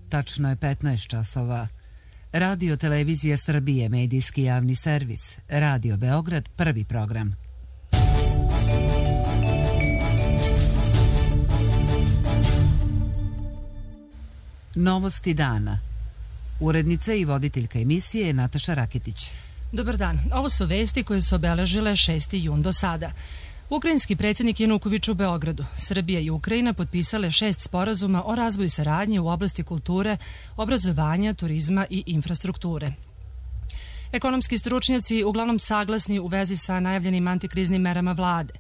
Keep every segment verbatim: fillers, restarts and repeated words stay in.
Tačno je petnaest časova. Radio Televizija Srbije, medijski javni servis. Radio Beograd, prvi program. Novosti dana. Urednica i voditeljka emisije je Nataša Raketić. Dobar dan. Ovo su vesti koje su obeležile šesti jun do sada. Ukrajinski predsjednik Januković u Beogradu. Srbija i Ukrajina potpisale šest sporazuma o razvoju saradnje u oblasti kulture, obrazovanja, turizma i infrastrukture. Ekonomski stručnjaci uglavnom saglasni u vezi sa najavljenim antikriznim merama vlade.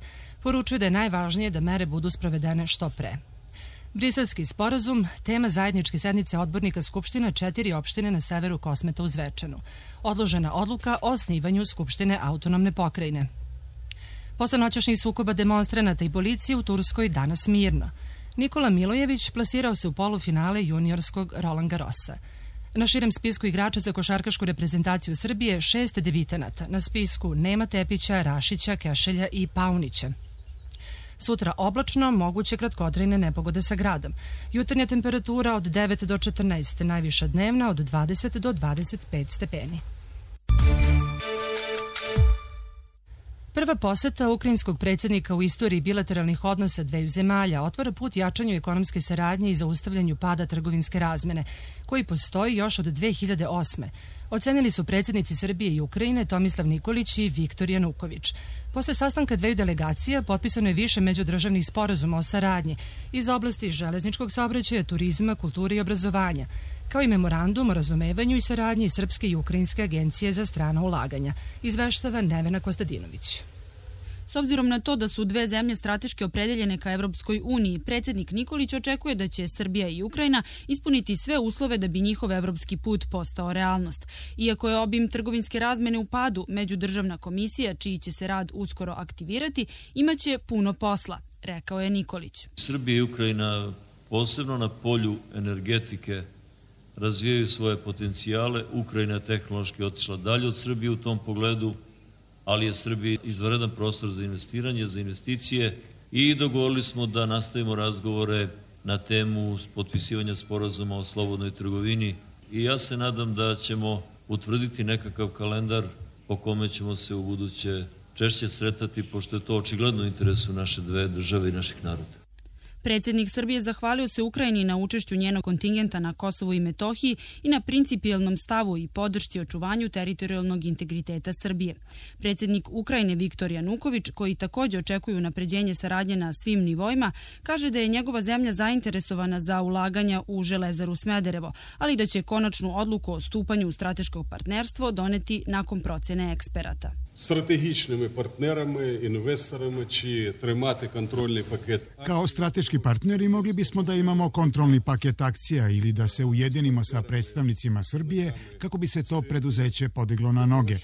Poručuju da je najvažnije da mere budu sprovedene što pre. Briselski sporazum, tema zajedničke sednice odbornika Skupština četiri opštine na severu Kosmeta u Zvečanu. Odložena odluka o osnivanju Skupštine autonomne pokrajine. Posle noćašnjih sukoba demonstranata i policije u Turskoj danas mirno. Nikola Milojević plasirao se u polufinale juniorskog Roland Garrosa. Na širem spisku igrača za košarkašku reprezentaciju Srbije šest debitanata. Na spisku Nema Tepića, Rašića, Kešelja i Paunića. Sutra oblačno, moguće kratkotrajne nepogode sa gradom. Jutarnja temperatura od devet do četrnaest, najviša dnevna od dvadeset do dvadeset pet stepeni. Prva poseta ukrajinskog predsjednika u istoriji bilateralnih odnosa dveju zemalja otvara put jačanju ekonomske saradnje i zaustavljanju pada trgovinske razmene, koji postoji još od dve hiljade osme. Ocenili su predsjednici Srbije i Ukrajine Tomislav Nikolić i Viktor Januković. Posle sastanka dveju delegacija potpisano je više međudržavnih sporazuma o saradnji iz oblasti železničkog saobraćaja, turizma, kulture i obrazovanja, kao i memorandum o razumevanju i saradnji Srpske i Ukrajinske agencije za strana ulaganja, izveštava Nevena Kostadinović. S obzirom na to da su dve zemlje strateški opredeljene ka Evropskoj uniji, predsjednik Nikolić očekuje da će Srbija i Ukrajina ispuniti sve uslove da bi njihov evropski put postao realnost. Iako je obim trgovinske razmene u padu, Međudržavna komisija, čiji će se rad uskoro aktivirati, imaće puno posla, rekao je Nikolić. Srbija i Ukrajina posebno na polju energetike razvijaju svoje potencijale. Ukrajina je tehnološki otišla dalje od Srbije u tom pogledu, ali je Srbija izvanredan prostor za investiranje, za investicije i dogovorili smo da nastavimo razgovore na temu potpisivanja sporazuma o slobodnoj trgovini i ja se nadam da ćemo utvrditi nekakav kalendar po kome ćemo se u buduće češće sretati, pošto je to očigledno u interesu naše dve države i naših naroda. Predsjednik Srbije zahvalio se Ukrajini na učešću njenog kontingenta na Kosovu i Metohiji i na principijelnom stavu i podršci očuvanju teritorijalnog integriteta Srbije. Predsjednik Ukrajine Viktor Januković, koji također očekuju unapređenje saradnje na svim nivoima, kaže da je njegova zemlja zainteresovana za ulaganja u Železaru Smederevo, ali da će konačnu odluku o stupanju u strateško partnerstvo doneti nakon procjene eksperata. Стратегічними партнерами, інвесторами чи тримати контрольний пакет. Kao strateški partneri mogli bismo da imamo kontrolni paket akcija ili da se ujedinimo sa predstavnicima Srbije kako bi se to preduzeće podiglo na noge.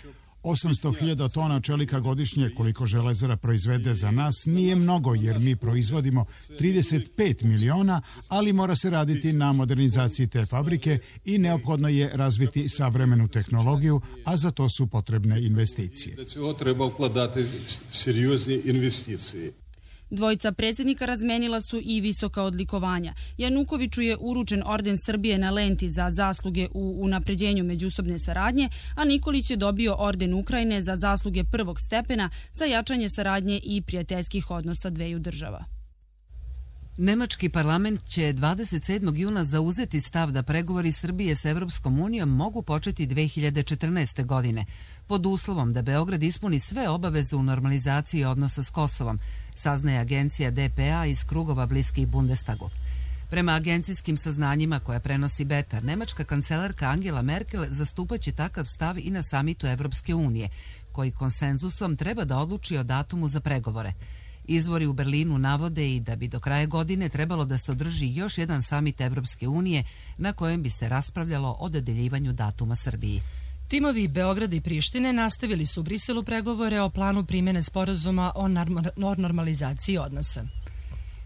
osamsto hiljada tona čelika godišnje koliko Železara proizvede za nas nije mnogo jer mi proizvodimo trideset pet miliona, ali mora se raditi na modernizaciji te fabrike i neophodno je razviti savremenu tehnologiju, a za to su potrebne investicije. Za to treba ukladati seriozne investicije. Dvojica predsjednika razmenila su i visoka odlikovanja. Janukoviću je uručen orden Srbije na lenti za zasluge u unapređenju međusobne saradnje, a Nikolić je dobio orden Ukrajine za zasluge prvog stepena za jačanje saradnje i prijateljskih odnosa dveju država. Nemački parlament će dvadeset sedmog juna zauzeti stav da pregovori Srbije s Evropskom unijom mogu početi dve hiljade četrnaeste. godine, pod uslovom da Beograd ispuni sve obaveze u normalizaciji odnosa s Kosovom, saznaje agencija D P A iz krugova bliskih Bundestagu. Prema agencijskim saznanjima koja prenosi Betar, nemačka kancelarka Angela Merkel zastupaće takav stav i na samitu Evropske unije, koji konsenzusom treba da odluči o datumu za pregovore. Izvori u Berlinu navode i da bi do kraja godine trebalo da se održi još jedan samit Evropske unije na kojem bi se raspravljalo o dodeljivanju datuma Srbiji. Timovi Beograda i Prištine nastavili su u Briselu pregovore o planu primjene sporazuma o normalizaciji odnosa.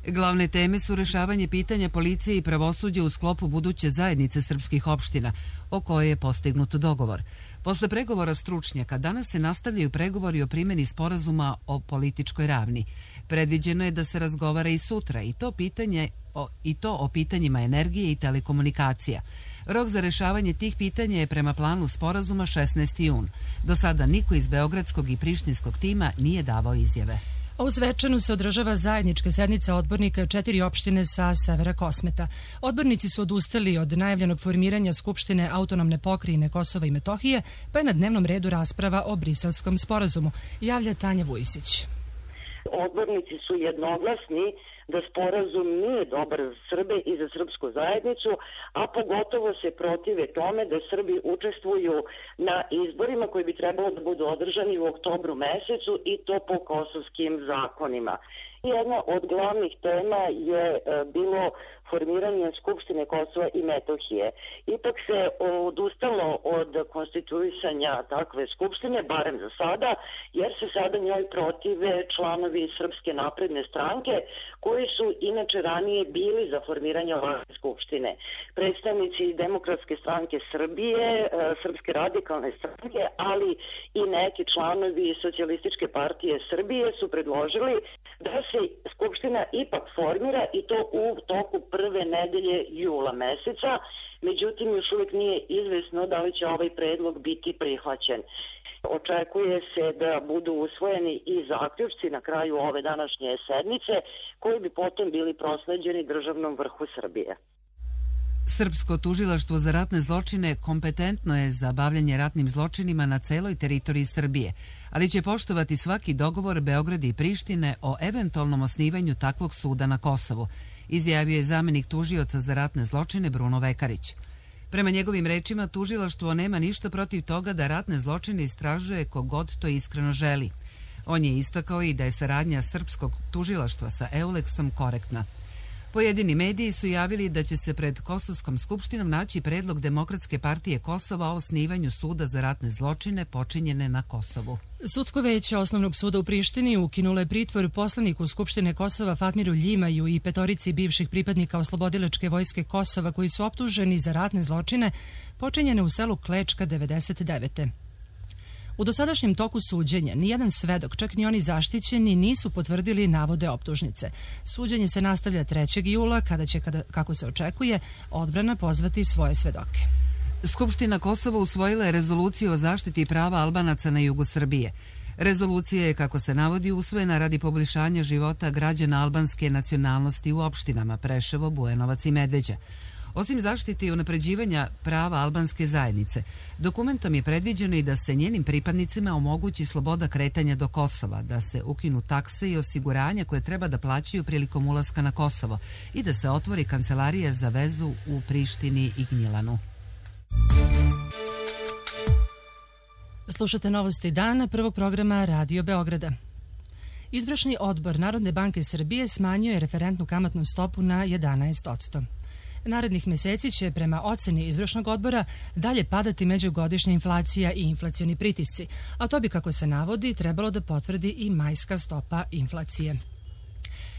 Glavne teme su rešavanje pitanja policije i pravosuđa u sklopu buduće zajednice srpskih opština, o kojoj je postignut dogovor. Posle pregovora stručnjaka danas se nastavljaju pregovori o primjeni sporazuma o političkoj ravni. Predviđeno je da se razgovara i sutra i to pitanje o, i to o pitanjima energije i telekomunikacija. Rok za rešavanje tih pitanja je prema planu sporazuma šesnaesti jun. Do sada niko iz beogradskog i prištinskog tima nije davao izjave. A u Zvečanu se održava zajednička sednica odbornika četiri opštine sa severa Kosmeta. Odbornici su odustali od najavljenog formiranja Skupštine autonomne pokrajine Kosova i Metohije, pa je na dnevnom redu rasprava o Briselskom sporazumu, javlja Tanja Vujisić. Odbornici su jednoglasni da sporazum nije dobar za Srbe i za srpsku zajednicu, a pogotovo se protive tome da Srbi učestvuju na izborima koji bi trebalo da budu održani u oktobru mesecu i to po kosovskim zakonima. Jedna od glavnih tema je bilo formiranje Skupštine Kosova i Metohije. Ipak se odustalo od konstituisanja takve skupštine, barem za sada, jer se sada njoj protive članovi Srpske napredne stranke, koji su inače ranije bili za formiranje ovakve skupštine. Predstavnici Demokratske stranke Srbije, Srpske radikalne stranke, ali i neki članovi Socijalističke partije Srbije su predložili da se skupština ipak formira i to u toku prve nedelje jula meseca, međutim još uvijek nije izvesno da li će ovaj predlog biti prihvaćen. Očekuje se da budu usvojeni i zaključci na kraju ove današnje sednice, koji bi potom bili prosleđeni državnom vrhu Srbije. Srpsko tužilaštvo za ratne zločine kompetentno je za bavljanje ratnim zločinima na celoj teritoriji Srbije, ali će poštovati svaki dogovor Beograda i Prištine o eventualnom osnivanju takvog suda na Kosovu, izjavio je zamenik tužioca za ratne zločine Bruno Vekarić. Prema njegovim rečima, tužilaštvo nema ništa protiv toga da ratne zločine istražuje kogod to iskreno želi. On je istakao i da je saradnja srpskog tužilaštva sa Euleksom korektna. Pojedini mediji su javili da će se pred Kosovskom skupštinom naći predlog Demokratske partije Kosova o osnivanju suda za ratne zločine počinjene na Kosovu. Sudsko veće Osnovnog suda u Prištini ukinulo je pritvor poslaniku Skupštine Kosova Fatmiru Ljimaju i petorici bivših pripadnika Oslobodilačke vojske Kosova koji su optuženi za ratne zločine počinjene u selu Klečka devedeset devete. U dosadašnjem toku suđenja nijedan svedok, čak ni oni zaštićeni, nisu potvrdili navode optužnice. Suđenje se nastavlja trećeg jula, kada će, kada, kako se očekuje, odbrana pozvati svoje svedoke. Skupština Kosova usvojila je rezoluciju o zaštiti prava Albanaca na jugu Srbije. Rezolucija je, kako se navodi, usvojena radi poboljšanja života građana albanske nacionalnosti u opštinama Preševo, Bujanovac i Medveđa. Osim zaštite i unapređivanja prava albanske zajednice, dokumentom je predviđeno i da se njenim pripadnicima omogući sloboda kretanja do Kosova, da se ukinu takse i osiguranja koje treba da plaćaju prilikom ulaska na Kosovo i da se otvori kancelarija za vezu u Prištini i Gnjilanu. Slušate novosti dana prvog programa Radio Beograda. Izvršni odbor Narodne banke Srbije smanjio je referentnu kamatnu stopu na jedanaest posto. Narednih meseci će, prema oceni izvršnog odbora, dalje padati međugodišnja inflacija i inflacioni pritisci, a to bi, kako se navodi, trebalo da potvrdi i majska stopa inflacije.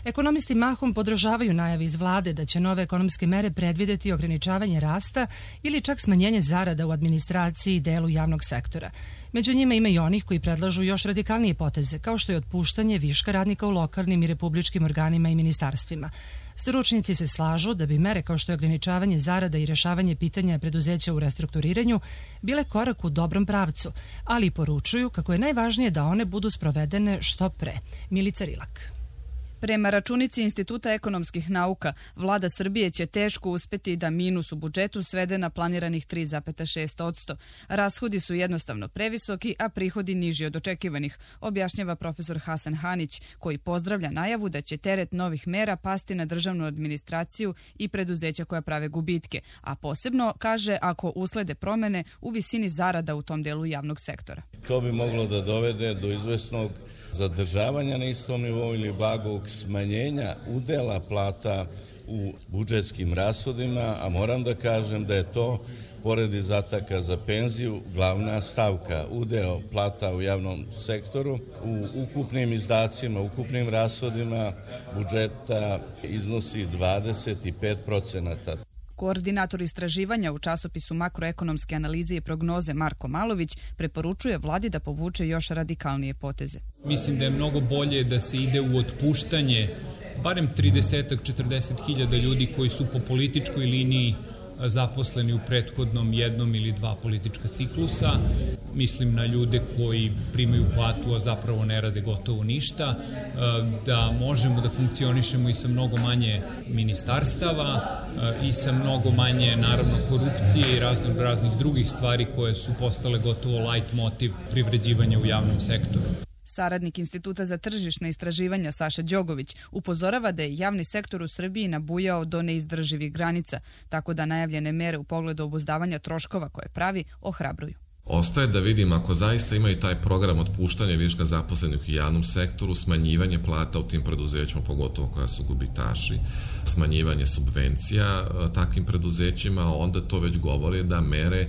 Ekonomisti mahom podržavaju najavi iz vlade da će nove ekonomske mere predvideti ograničavanje rasta ili čak smanjenje zarada u administraciji i delu javnog sektora. Među njima ima i onih koji predlažu još radikalnije poteze, kao što je otpuštanje viška radnika u lokalnim i republičkim organima i ministarstvima. Stručnjaci se slažu da bi mere kao što je ograničavanje zarada i rešavanje pitanja preduzeća u restrukturiranju bile korak u dobrom pravcu, ali poručuju kako je najvažnije da one budu sprovedene što pre. Milica Rilak. Prema računici Instituta ekonomskih nauka, vlada Srbije će teško uspeti da minus u budžetu svede na planiranih tri zarez šest posto. Rashodi su jednostavno previsoki, a prihodi niži od očekivanih, objašnjava profesor Hasan Hanić, koji pozdravlja najavu da će teret novih mera pasti na državnu administraciju i preduzeća koja prave gubitke, a posebno, kaže, ako uslede promene u visini zarada u tom delu javnog sektora. To bi moglo da dovede do izvesnog zadržavanja na istom nivou ili blagog smanjenja udela plata u budžetskim rashodima, a moram da kažem da je to, pored izdataka za penziju, glavna stavka. Udeo plata u javnom sektoru u ukupnim izdacima, ukupnim rashodima budžeta iznosi dvadeset pet procenata. Koordinator istraživanja u časopisu makroekonomske analize i prognoze Marko Malović preporučuje vladi da povuče još radikalnije poteze. Mislim da je mnogo bolje da se ide u otpuštanje barem trideset do četrdeset hiljada ljudi koji su po političkoj liniji zaposleni u prethodnom jednom ili dva politička ciklusa. Mislim na ljude koji primaju platu, a zapravo ne rade gotovo ništa, da možemo da funkcionišemo i sa mnogo manje ministarstava i sa mnogo manje, naravno, korupcije i razno raznih drugih stvari koje su postale gotovo light motiv privređivanja u javnom sektoru. Saradnik Instituta za tržišna istraživanja Saša Đogović upozorava da je javni sektor u Srbiji nabujao do neizdrživih granica, tako da najavljene mere u pogledu obuzdavanja troškova koje pravi ohrabruju. Ostaje da vidim ako zaista ima i taj program otpuštanja viška zaposlenih u javnom sektoru, smanjivanje plata u tim preduzećima, pogotovo koja su gubitaši, smanjivanje subvencija takvim preduzećima, onda to već govori da mere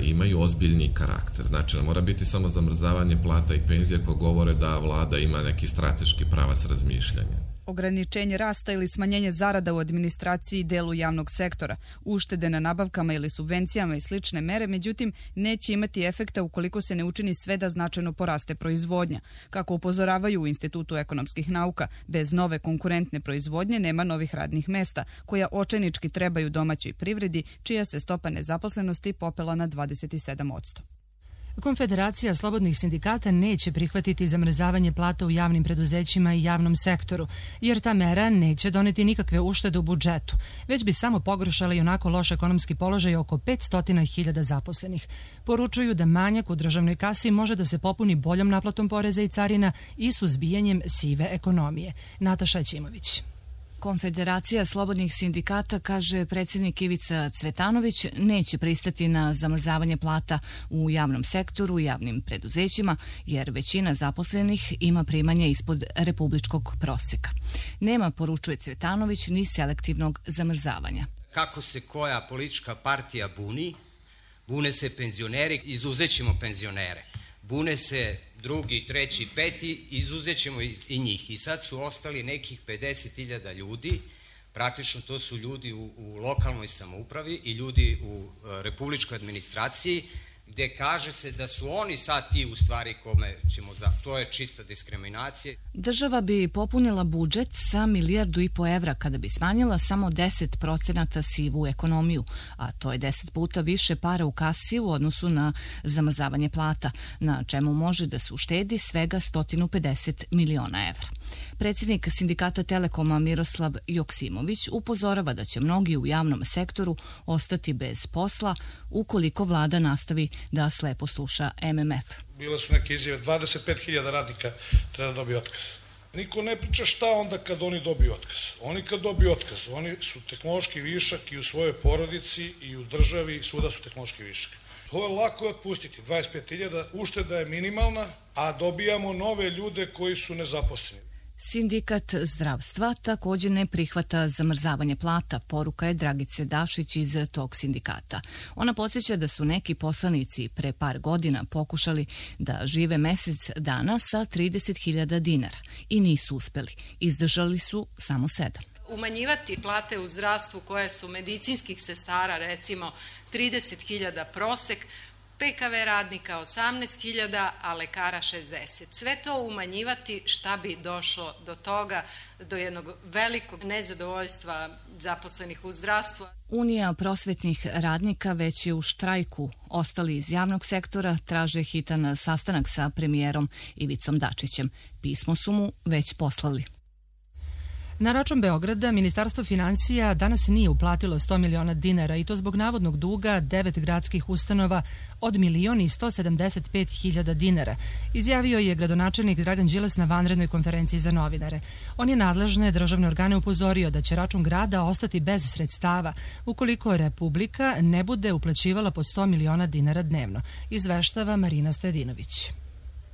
imaju ozbiljni karakter. Znači, ne mora biti samo zamrzavanje plata i penzija koje govore da vlada ima neki strateški pravac razmišljanja. Ograničenje rasta ili smanjenje zarada u administraciji i delu javnog sektora, uštede na nabavkama ili subvencijama i slične mere, međutim, neće imati efekta ukoliko se ne učini sve da značajno poraste proizvodnja. Kako upozoravaju u Institutu ekonomskih nauka, bez nove konkurentne proizvodnje nema novih radnih mesta, koja očajnički trebaju domaćoj privredi, čija se stopa nezaposlenosti popela na dvadeset sedam posto. Konfederacija slobodnih sindikata neće prihvatiti zamrzavanje plata u javnim preduzećima i javnom sektoru, jer ta mera neće doneti nikakve uštede u budžetu, već bi samo pogoršala i onako loš ekonomski položaj oko petsto hiljada zaposlenih. Poručuju da manjak u državnoj kasi može da se popuni boljom naplatom poreza i carina i suzbijanjem sive ekonomije. Nataša Ćimović. Konfederacija slobodnih sindikata, kaže predsjednik Ivica Cvetanović, neće pristati na zamrzavanje plata u javnom sektoru i javnim preduzećima, jer većina zaposlenih ima primanje ispod republičkog proseka. Nema, poručuje Cvetanović, ni selektivnog zamrzavanja. Kako se koja politička partija buni, bune se penzioneri, izuzećemo penzionere. Bune se drugi, treći, peti, izuzećemo i njih. I sad su ostali nekih pedeset hiljada ljudi, praktično to su ljudi u, u lokalnoj samoupravi i ljudi u republičkoj administraciji, gde kaže se da su oni sad ti u stvari kome ćemo za... To je čista diskriminacija. Država bi popunila budžet sa milijardu i po evra kada bi smanjila samo deset procenata sivu ekonomiju, a to je deset puta više para u kasi u odnosu na zamrzavanje plata, na čemu može da se uštedi svega sto pedeset miliona evra. Predsjednik sindikata Telekoma Miroslav Joksimović upozorava da će mnogi u javnom sektoru ostati bez posla ukoliko vlada nastavi da slepo sluša M M F. Bile su neke izjave, dvadeset pet hiljada radnika treba da dobije otkaz. Niko ne priča šta onda kad oni dobiju otkaz. Oni kad dobiju otkaz, oni su tehnološki višak i u svojoj porodici i u državi i svuda su tehnološki višak. Ovo je lako je otpustiti, dvadeset pet hiljada, ušteda je minimalna, a dobijamo nove ljude koji su nezaposleni. Sindikat zdravstva također ne prihvata zamrzavanje plata, poruka je Dragice Dašić iz tog sindikata. Ona podsjeća da su neki poslanici pre par godina pokušali da žive mesec dana sa trideset hiljada dinara i nisu uspeli. Izdržali su samo sedam. Umanjivati plate u zdravstvu koje su medicinskih sestara, recimo trideset hiljada prosek, P K V radnika osamnaest hiljada, a lekara šezdeset. Sve to umanjivati, šta bi došlo do toga, do jednog velikog nezadovoljstva zaposlenih u zdravstvu. Unija prosvetnih radnika već je u štrajku. Ostali iz javnog sektora traže hitan sastanak sa premijerom Ivicom Dačićem. Pismo su mu već poslali. Na račun Beograda Ministarstvo finansija danas nije uplatilo sto miliona dinara i to zbog navodnog duga devet gradskih ustanova od milion i sto sedamdeset pet hiljada dinara, izjavio je gradonačelnik Dragan Đilas na vanrednoj konferenciji za novinare. On je nadležne državne organe upozorio da će račun grada ostati bez sredstava ukoliko Republika ne bude uplaćivala po sto miliona dinara dnevno, izveštava Marina Stojedinović.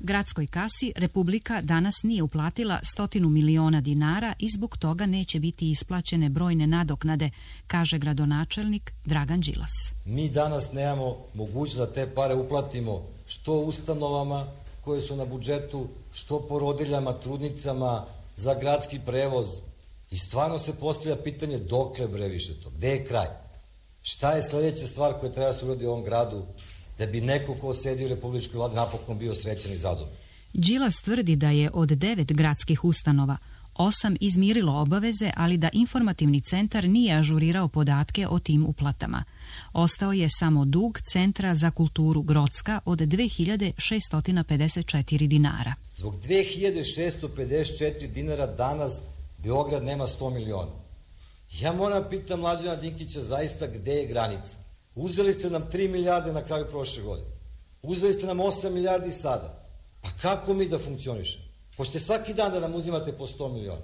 Gradskoj kasi Republika danas nije uplatila stotinu miliona dinara i zbog toga neće biti isplaćene brojne nadoknade, kaže gradonačelnik Dragan Đilas. Mi danas nemamo mogućnost da te pare uplatimo što ustanovama koje su na budžetu, što porodiljama, trudnicama, za gradski prevoz. I stvarno se postavlja pitanje dokle bre više to, gde je kraj? Šta je sledeća stvar koja treba se uradi u ovom gradu da bi neko ko sedi u republičkoj vladi napokon bio srećan i zadovoljan? Đilas tvrdi da je od devet gradskih ustanova osam izmirilo obaveze, ali da informativni centar nije ažurirao podatke o tim uplatama. Ostao je samo dug Centra za kulturu Grocka od dve hiljade šeststo pedeset četiri dinara. Zbog dve hiljade šeststo pedeset četiri dinara danas Beograd nema sto miliona. Ja moram pitam Mlađana Dinkića zaista gde je granica. Uzeli ste nam tri milijarde na kraju prošle godine. Uzeli ste nam osam milijardi sada. Pa kako mi da funkcionišemo? Hoćete svaki dan da nam uzimate po sto miliona.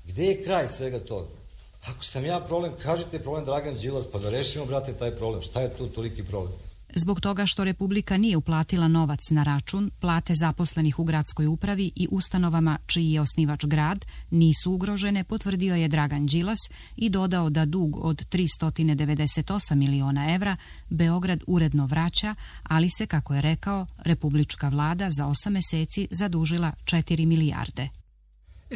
Gde je kraj svega toga? Ako sam ja problem, kažite problem Dragan Đilas, pa da rešimo, brate, taj problem. Šta je tu toliki problem? Zbog toga što Republika nije uplatila novac na račun, plate zaposlenih u gradskoj upravi i ustanovama čiji je osnivač grad nisu ugrožene, potvrdio je Dragan Đilas i dodao da dug od tristo devedeset osam miliona evra Beograd uredno vraća, ali se, kako je rekao, republička vlada za osam meseci zadužila četiri milijarde.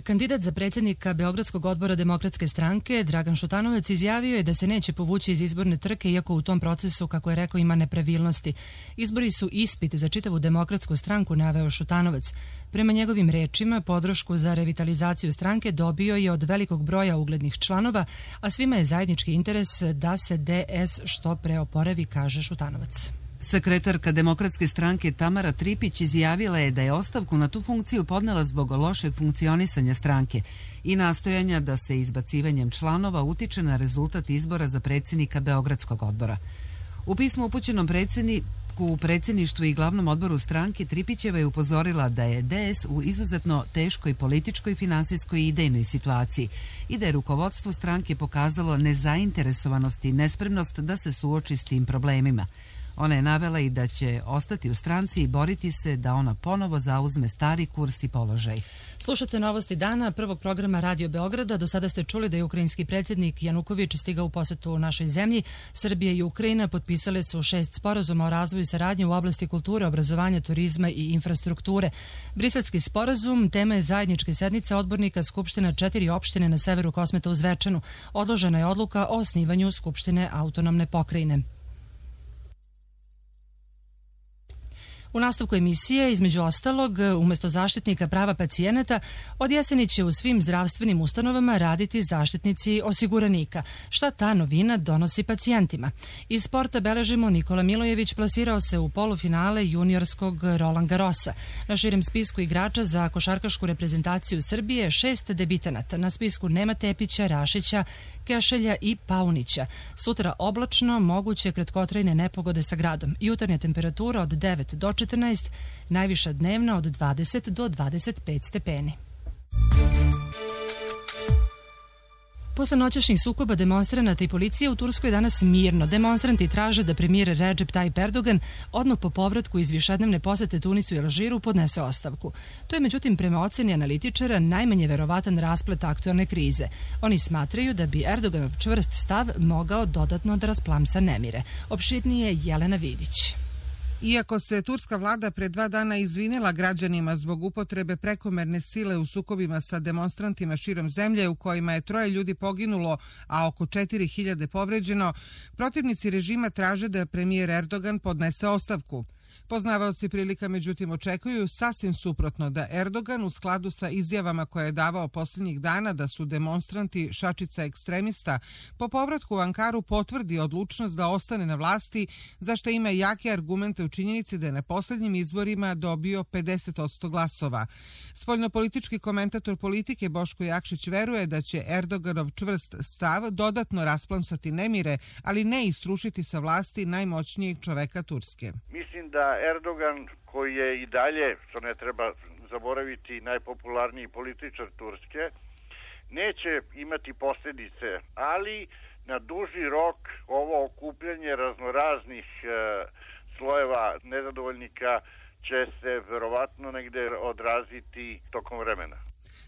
Kandidat za predsjednika Beogradskog odbora Demokratske stranke Dragan Šutanovac izjavio je da se neće povući iz izborne trke, iako u tom procesu, kako je rekao, ima nepravilnosti. Izbori su ispit za čitavu Demokratsku stranku, naveo Šutanovac. Prema njegovim rečima, podršku za revitalizaciju stranke dobio je od velikog broja uglednih članova, a svima je zajednički interes da se D S što pre oporavi, kaže Šutanovac. Sekretarka Demokratske stranke Tamara Tripić izjavila je da je ostavku na tu funkciju podnela zbog lošeg funkcionisanja stranke i nastojanja da se izbacivanjem članova utiče na rezultat izbora za predsjednika Beogradskog odbora. U pismu upućenom predsjedniku u predsjedništvu i glavnom odboru stranke Tripićeva je upozorila da je D S u izuzetno teškoj političkoj, finansijskoj i idejnoj situaciji i da je rukovodstvo stranke pokazalo nezainteresovanost i nespremnost da se suoči s tim problemima. Ona je navela i da će ostati u stranci i boriti se da ona ponovo zauzme stari kurs i položaj. Slušate novosti dana prvog programa Radio Beograda. Do sada ste čuli da je ukrajinski predsjednik Januković stigao u posetu u našoj zemlji. Srbija i Ukrajina potpisale su šest sporazuma o razvoju saradnje u oblasti kulture, obrazovanja, turizma i infrastrukture. Briselski sporazum tema je zajedničke sednice odbornika Skupština četiri opštine na severu Kosmeta u Zvečanu. Odložena je odluka o osnivanju Skupštine autonomne pokrajine. U nastavku emisije, između ostalog, umjesto zaštitnika prava pacijenata, od jeseni će u svim zdravstvenim ustanovama raditi zaštitnici osiguranika. Šta ta novina donosi pacijentima? Iz sporta beležimo Nikola Milojević plasirao se u polufinale juniorskog Roland Garrosa. Na širem spisku igrača za košarkašku reprezentaciju Srbije šest debitanata. Na spisku nema Tepića, Rašića, Kešelja i Paunića. Sutra oblačno, moguće kratkotrajne nepogode sa gradom. Jutarnja temperatura od devet do četrnaest, najviša dnevna od dvadeset do dvadeset pet stepeni. Posle noćašnjih sukoba demonstranata i policije u Turskoj danas mirno. Demonstranti traže da premijer Recep Tayyip Erdogan odmah po povratku iz višednevne posete Tunisu i Alžiru podnese ostavku. To je međutim prema oceni analitičara najmanje verovatan rasplet aktualne krize. Oni smatraju da bi Erdoganov čvrst stav mogao dodatno da rasplamsa nemire. Opširnije Jelena Vidić. Iako se turska vlada pre dva dana izvinila građanima zbog upotrebe prekomerne sile u sukobima sa demonstrantima širom zemlje u kojima je troje ljudi poginulo, a oko četiri hiljade povređeno, protivnici režima traže da premijer Erdogan podnese ostavku. Poznavaoci prilika međutim očekuju sasvim suprotno, da Erdogan u skladu sa izjavama koje je davao posljednjih dana da su demonstranti šačica ekstremista, po povratku u Ankaru potvrdi odlučnost da ostane na vlasti, za što ima jake argumente u činjenici da je na posljednjim izborima dobio pedeset posto glasova. Spoljnopolitički komentator politike Boško Jakšić veruje da će Erdoganov čvrst stav dodatno rasplamsati nemire, ali ne i srušiti sa vlasti najmoćnijeg čoveka Turske. Mislim da Erdogan, koji je i dalje, što ne treba zaboraviti, najpopularniji političar Turske, neće imati posljedice, ali na duži rok ovo okupljanje raznoraznih e, slojeva nezadovoljnika će se verovatno negde odraziti tokom vremena.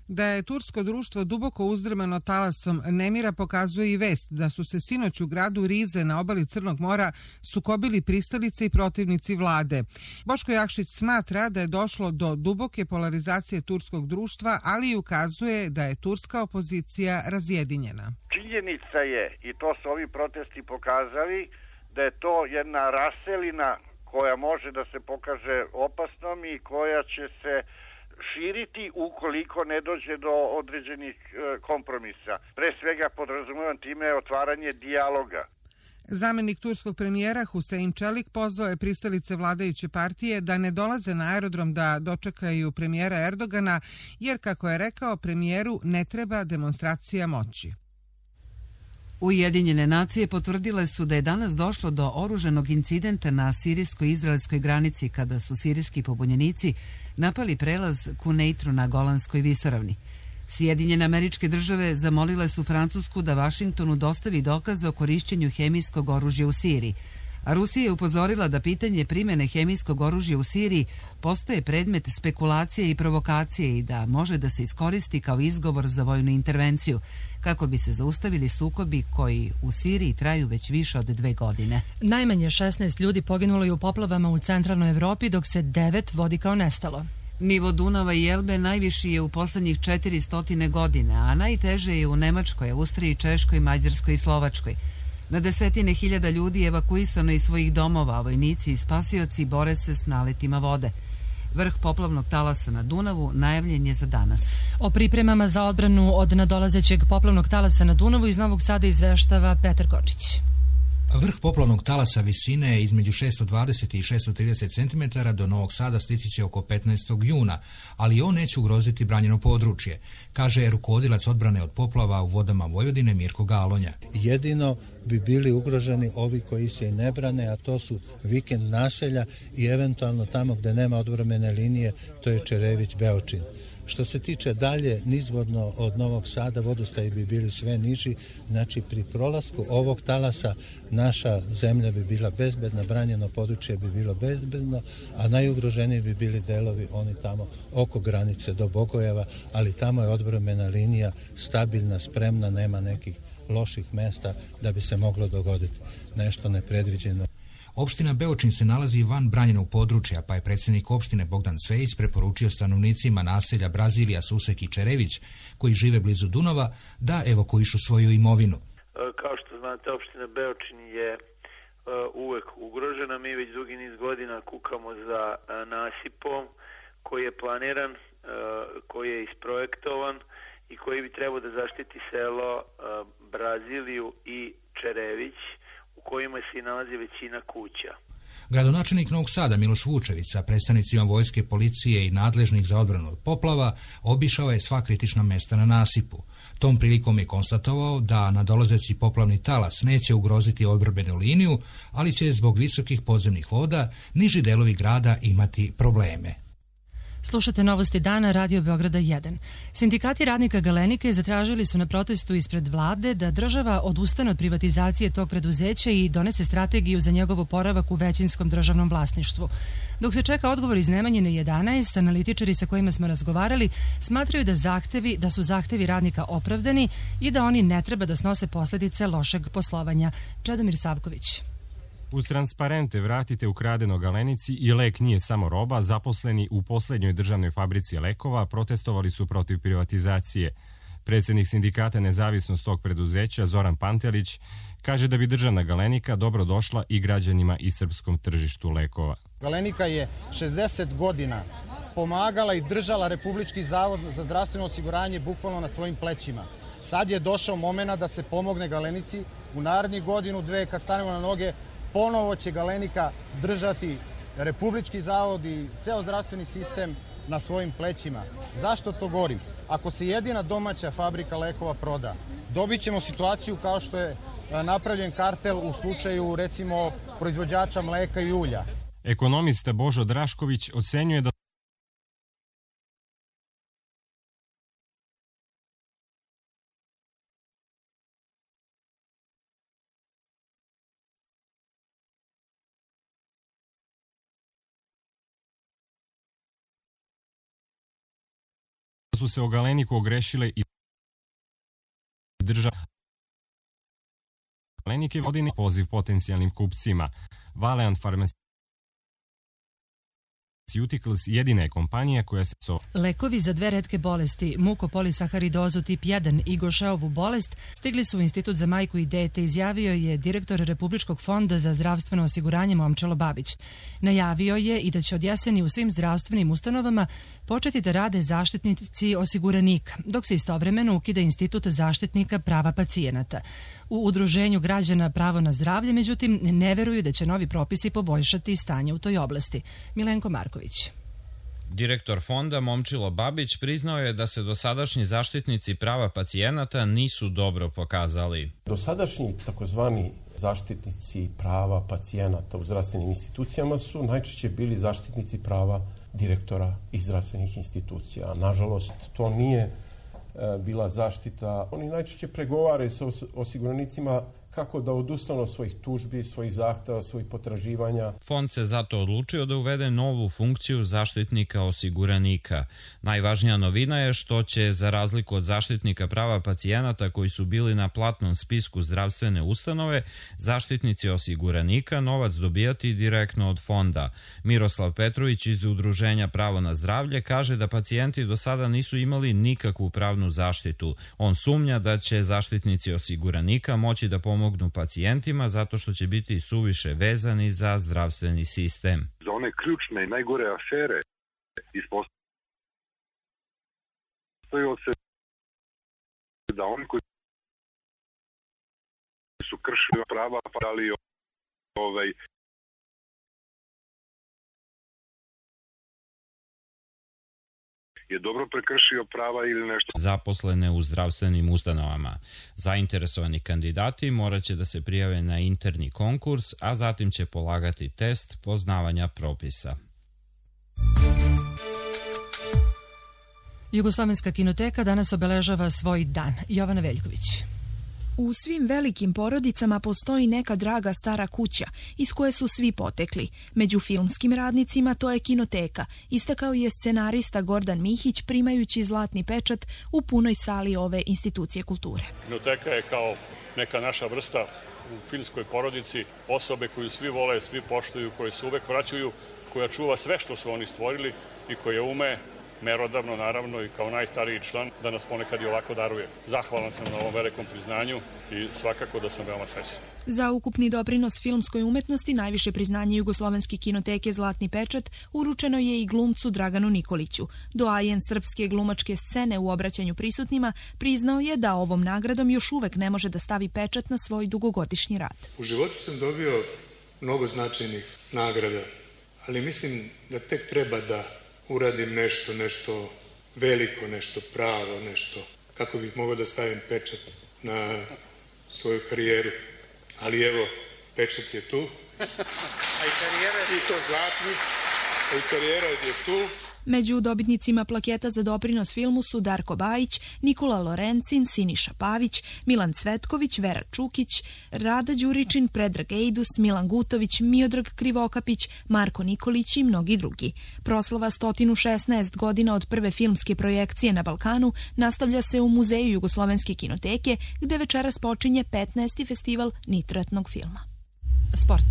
Da je tursko društvo duboko uzdrmano talasom nemira pokazuje i vest da su se sinoć u gradu Rize na obali Crnog mora sukobili pristalice i protivnici vlade. Boško Jakšić smatra da je došlo do duboke polarizacije turskog društva, ali i ukazuje da je turska opozicija razjedinjena. Činjenica je, i to su ovi protesti pokazali, da je to jedna raselina koja može da se pokaže opasnom i koja će se širiti ukoliko ne dođe do određenih kompromisa. Pre svega podrazumevam time otvaranje dijaloga. Zamenik turskog premijera Husein Čelik pozvao je pristalice vladajuće partije da ne dolaze na aerodrom da dočekaju premijera Erdogana, jer, kako je rekao, premijeru ne treba demonstracija moći. Ujedinjene nacije potvrdile su da je danas došlo do oruženog incidenta na sirijsko-izraelskoj granici kada su sirijski pobunjenici napali prelaz Kuneitru na Golanskoj visoravni. Sjedinjene Američke Države zamolile su Francusku da Vašingtonu dostavi dokaze o korišćenju hemijskog oružja u Siriji, a Rusija je upozorila da pitanje primjene hemijskog oružja u Siriji postaje predmet spekulacije i provokacije i da može da se iskoristi kao izgovor za vojnu intervenciju, kako bi se zaustavili sukobi koji u Siriji traju već više od dve godine. Najmanje šesnaest ljudi poginulo je u poplavama u centralnoj Evropi, dok se devet vodi kao nestalo. Nivo Dunava i Elbe najviši je u poslednjih četiristo godina, a najteže je u Nemačkoj, Austriji, Češkoj, Mađarskoj i Slovačkoj. Na desetine hiljada ljudi je evakuisano iz svojih domova, a vojnici i spasioci bore se s naletima vode. Vrh poplavnog talasa na Dunavu najavljen je za danas. O pripremama za odbranu od nadolazećeg poplavnog talasa na Dunavu iz Novog Sada izveštava Petar Kočić. Vrh poplavnog talasa visine je između šessto dvadeset i šessto trideset centimetara, do Novog Sada stići će oko petnaestog juna, ali on neće ugroziti branjeno područje, kaže rukovodilac odbrane od poplava u vodama Vojvodine Mirko Galonja. Jedino bi bili ugroženi ovi koji se i ne brane, a to su vikend naselja i eventualno tamo gde nema odbrambene linije, to je Čerević, Beočin. Što se tiče dalje nizvodno od Novog Sada, vodostaji bi bili sve niži, znači pri prolasku ovog talasa naša zemlja bi bila bezbedna, branjeno područje bi bilo bezbedno, a najugroženiji bi bili delovi oni tamo oko granice do Bogojeva, ali tamo je odbrambena linija stabilna, spremna, nema nekih loših mesta da bi se moglo dogoditi nešto nepredviđeno. Opština Beočin se nalazi van branjenog područja, pa je predsjednik opštine Bogdan Cvejić preporučio stanovnicima naselja Brazilija, Susek i Čerević, koji žive blizu Dunava, da evakuišu svoju imovinu. Kao što znate, opština Beočin je uvek ugrožena. Mi već dugi niz godina kukamo za nasipom koji je planiran, koji je isprojektovan i koji bi trebao da zaštiti selo Braziliju i Čerević, u kojima se nalazi većina kuća. Gradonačelnik Novog Sada Miloš Vučević sa predstavnicima vojske, policije i nadležnih za odbranu od poplava obišao je sva kritična mesta na nasipu. Tom prilikom je konstatovao da nadolazeći poplavni talas neće ugroziti odbrambenu liniju, ali će zbog visokih podzemnih voda niži delovi grada imati probleme. Slušate Novosti dana, Radio Beograda jedan. Sindikati radnika Galenike zatražili su na protestu ispred vlade da država odustane od privatizacije tog preduzeća i donese strategiju za njegov oporavak u većinskom državnom vlasništvu. Dok se čeka odgovor iz Nemanjine jedanaest, analitičari sa kojima smo razgovarali smatraju da zahtevi, da su zahtevi radnika opravdani i da oni ne treba da snose posljedice lošeg poslovanja. Čedomir Savković. Uz transparente vratite ukradeno Galenici i lek nije samo roba, zaposleni u poslednjoj državnoj fabrici lekova protestovali su protiv privatizacije. Predsjednik sindikata Nezavisnost tog preduzeća Zoran Pantelić kaže da bi državna Galenika dobro došla i građanima i srpskom tržištu lekova. Galenika je šezdeset godina pomagala i držala Republički zavod za zdravstveno osiguranje bukvalno na svojim plećima. Sad je došao moment da se pomogne Galenici. U narednih godinu, dve, kad stanemo na noge, ponovo će Galenika držati Republički zavod i ceo zdravstveni sistem na svojim plećima. Zašto to govorim? Ako se jedina domaća fabrika lekova proda, dobit ćemo situaciju kao što je napravljen kartel u slučaju, recimo, proizvođača mleka i ulja. Ekonomista Božo Drašković ocenjuje da su se o Galeniku ogrešile i država. Galenik je vodini poziv potencijalnim kupcima. Valeant Pharmaceuticals jedina je kompanija koja se... So... Lekovi za dve retke bolesti, mukopolisaharidozu tip jedan i Gošeovu bolest, stigli su u Institut za majku i dete, izjavio je direktor Republičkog fonda za zdravstveno osiguranje Momčilo Babić. Najavio je i da će od jeseni u svim zdravstvenim ustanovama početi da rade zaštitnici osiguranika, dok se istovremeno ukida Institut zaštitnika prava pacijenata. U Udruženju građana Pravo na zdravlje, međutim, ne veruju da će novi propisi poboljšati stanje u toj oblasti. Milenko Marković. Direktor fonda Momčilo Babić priznao je da se dosadašnji zaštitnici prava pacijenata nisu dobro pokazali. Dosadašnji takozvani zaštitnici prava pacijenata u zdravstvenim institucijama su najčešće bili zaštitnici prava direktora iz zdravstvenih institucija. Nažalost, to nije bila zaštita. Oni najčešće pregovaraju sa osiguranicima kako da odustanu od svojih tužbi, svojih zahteva, svojih potraživanja. Fond se zato odlučio da uvede novu funkciju zaštitnika osiguranika. Najvažnija novina je što će, za razliku od zaštitnika prava pacijenata koji su bili na platnom spisku zdravstvene ustanove, zaštitnici osiguranika novac dobijati direktno od fonda. Miroslav Petrović iz Udruženja Pravo na zdravlje kaže da pacijenti do sada nisu imali nikakvu pravnu zaštitu. On sumnja da će zaštitnici osiguranika moći da pomogu pacijentima zato što će biti suviše vezani za zdravstveni sistem. Za one ključne i najgore afere ispostavljaju se da oni koji su kršili prava parali ovaj je dobro prekršio prava ili nešto. Zaposlene u zdravstvenim ustanovama. Zainteresovani kandidati morat će da se prijave na interni konkurs, a zatim će polagati test poznavanja propisa. Jugoslovenska kinoteka danas obeležava svoj dan. Jovana Veljković. U svim velikim porodicama postoji neka draga stara kuća iz koje su svi potekli. Među filmskim radnicima to je kinoteka, istakao je scenarista Gordan Mihić primajući zlatni pečat u punoj sali ove institucije kulture. Kinoteka je kao neka naša vrsta u filmskoj porodici, osobe koju svi vole, svi poštuju, koje se uvek vraćaju, koja čuva sve što su oni stvorili i koja ume merodavno, naravno, i kao najstariji član, da nas ponekad i ovako daruje. Zahvalan sam na ovom velikom priznanju i svakako da sam veoma srećan. Za ukupni doprinos filmskoj umetnosti najviše priznanje Jugoslovenske kinoteke Zlatni pečat uručeno je i glumcu Draganu Nikoliću. Doajen srpske glumačke scene u obraćanju prisutnima priznao je da ovom nagradom još uvek ne može da stavi pečat na svoj dugogodišnji rad. U životu sam dobio mnogo značajnih nagrada, ali mislim da tek treba da uradim nešto, nešto veliko, nešto pravo, nešto kako bih mogao da stavim pečat na svoju karijeru. Ali evo, pečat je tu. A i karijera je to zlatni, a i karijera je tu. Među dobitnicima plaketa za doprinos filmu su Darko Bajić, Nikola Lorencin, Siniša Pavić, Milan Cvetković, Vera Čukić, Rada Đuričin, Predrag Ejdus, Milan Gutović, Miodrag Krivokapić, Marko Nikolić i mnogi drugi. Proslava sto šesnaest godina od prve filmske projekcije na Balkanu nastavlja se u Muzeju Jugoslovenske kinoteke, gde večeras počinje petnaesti festival nitratnog filma. Sport.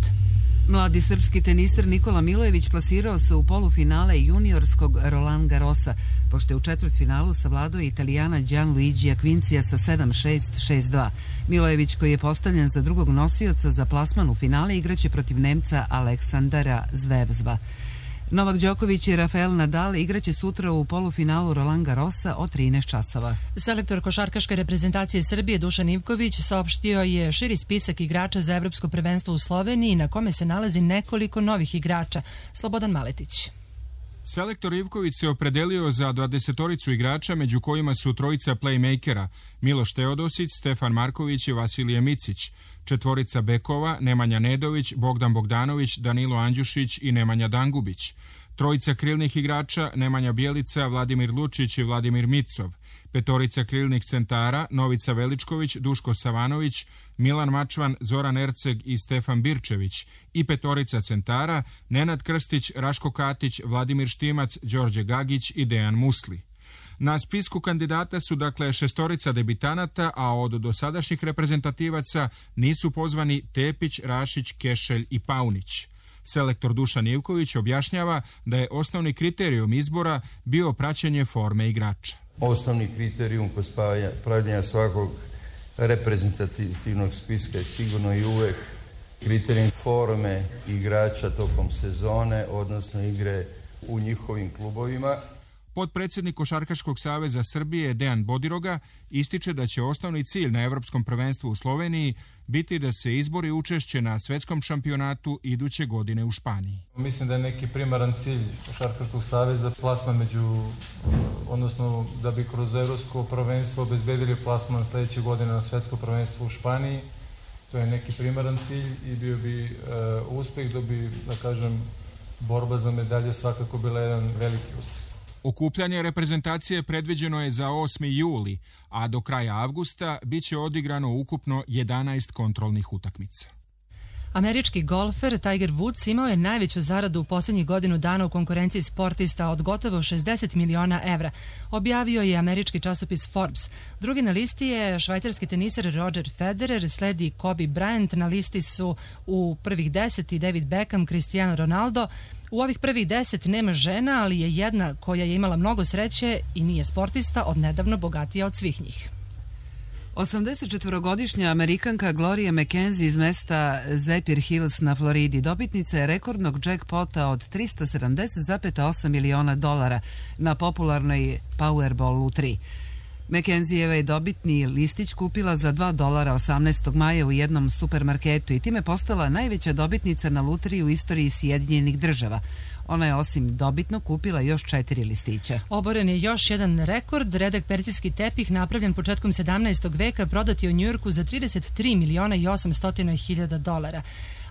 Mladi srpski teniser Nikola Milojević plasirao se u polufinale juniorskog Roland Garrosa, pošto je u četvrtfinalu savladao Italijana Gianluigija Quincija sa sedam šest, šest dva. Milojević, koji je postavljen za drugog nosioca za plasman u finale, igraće protiv Nemca Aleksandara Zvevzva. Novak Đoković i Rafael Nadal igraće sutra u polufinalu Roland Garrosa od trinaest časova. Selektor košarkaške reprezentacije Srbije Dušan Ivković saopštio je širi spisak igrača za evropsko prvenstvo u Sloveniji na kome se nalazi nekoliko novih igrača. Slobodan Maletić. Selektor Ivković se opredelio za dvadesetoricu igrača, među kojima su trojica playmakera Miloš Teodosić, Stefan Marković i Vasilije Micić, četvorica bekova Nemanja Nedović, Bogdan Bogdanović, Danilo Andjušić i Nemanja Dangubić, trojica krilnih igrača Nemanja Bjelica, Vladimir Lučić i Vladimir Micov, petorica krilnih centara Novica Veličković, Duško Savanović, Milan Mačvan, Zoran Erceg i Stefan Birčević i petorica centara Nenad Krstić, Raško Katić, Vladimir Štimac, Đorđe Gagić i Dejan Musli. Na spisku kandidata su dakle šestorica debitanata, a od dosadašnjih reprezentativaca nisu pozvani Tepić, Rašić, Kešelj i Paunić. Selektor Dušan Ivković objašnjava da je osnovni kriterijum izbora bio praćenje forme igrača. Osnovni kriterijum kod pravljenja svakog reprezentativnog spiska je sigurno i uvek kriterijum forme igrača tokom sezone, odnosno igre u njihovim klubovima. Potpredsjednik Košarkaškog saveza Srbije Dejan Bodiroga ističe da će osnovni cilj na Evropskom prvenstvu u Sloveniji biti da se izbori učešće na svetskom šampionatu iduće godine u Španiji. Mislim da je neki primaran cilj Košarkaškog saveza plasman među, odnosno da bi kroz Evropsko prvenstvo obezbedili plasman sledeće godine na svetsko prvenstvo u Španiji. To je neki primaran cilj i bio bi e, uspeh, da bi, da kažem, borba za medalje svakako bila jedan veliki uspeh. Okupljanje reprezentacije predviđeno je za osmi juli, a do kraja avgusta biće odigrano ukupno jedanaest kontrolnih utakmica. Američki golfer Tiger Woods imao je najveću zaradu u posljednjih godinu dana u konkurenciji sportista od gotovo šezdeset miliona evra, objavio je američki časopis Forbes. Drugi na listi je švajcarski teniser Roger Federer, sledi Kobe Bryant, na listi su u prvih deset i David Beckham, Cristiano Ronaldo. U ovih prvih deset nema žena, ali je jedna koja je imala mnogo sreće i nije sportista, odnedavno bogatija od svih njih. osamdesetčetvorogodišnja Amerikanka Gloria McKenzie iz mesta Zephyr Hills na Floridi dobitnica je rekordnog jackpota od trista sedamdeset zarez osam miliona dolara na popularnoj Powerball lutriji. McKenzieva je dobitni listić kupila za dva dolara osamnaestog maja u jednom supermarketu i time postala najveća dobitnica na lutriji u istoriji Sjedinjenih država. Ona je osim dobitno kupila još četiri listića. Oboren je još jedan rekord. Redak perzijski tepih napravljen početkom sedamnaestog veka prodat je u Njujorku za trideset tri miliona i osamsto hiljada dolara.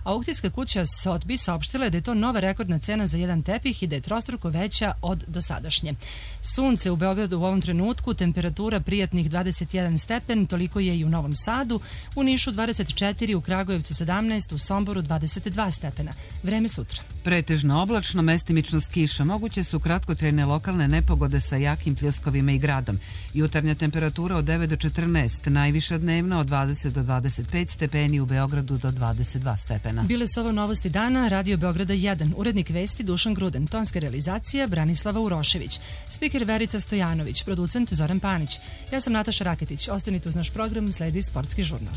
Aukcijska kuća Sotheby's saopštila je da je to nova rekordna cena za jedan tepih i da je trostruko veća od dosadašnje. Sunce u Beogradu u ovom trenutku, temperatura prijatnih dvadeset jedan stepen, toliko je i u Novom Sadu, u Nišu dvadeset četiri, u Kragujevcu sedamnaest, u Somboru dvadeset dva stepena. Vreme sutra. Pretežno oblačno, mestimično s kiša. Moguće su kratkotrajne lokalne nepogode sa jakim pljuskovima i gradom. Jutarnja temperatura od devet do četrnaest, najviša dnevna od dvadeset do dvadeset pet stepeni, u Beogradu do dvadeset dva stepena. Bile su ovo novosti dana, Radio Beograda jedan, urednik vesti Dušan Gruden, tonska realizacija Branislava Urošević, spiker Verica Stojanović, producent Zoran Panić. Ja sam Nataša Raketić, ostanite uz naš program, sledi Sportski žurnal.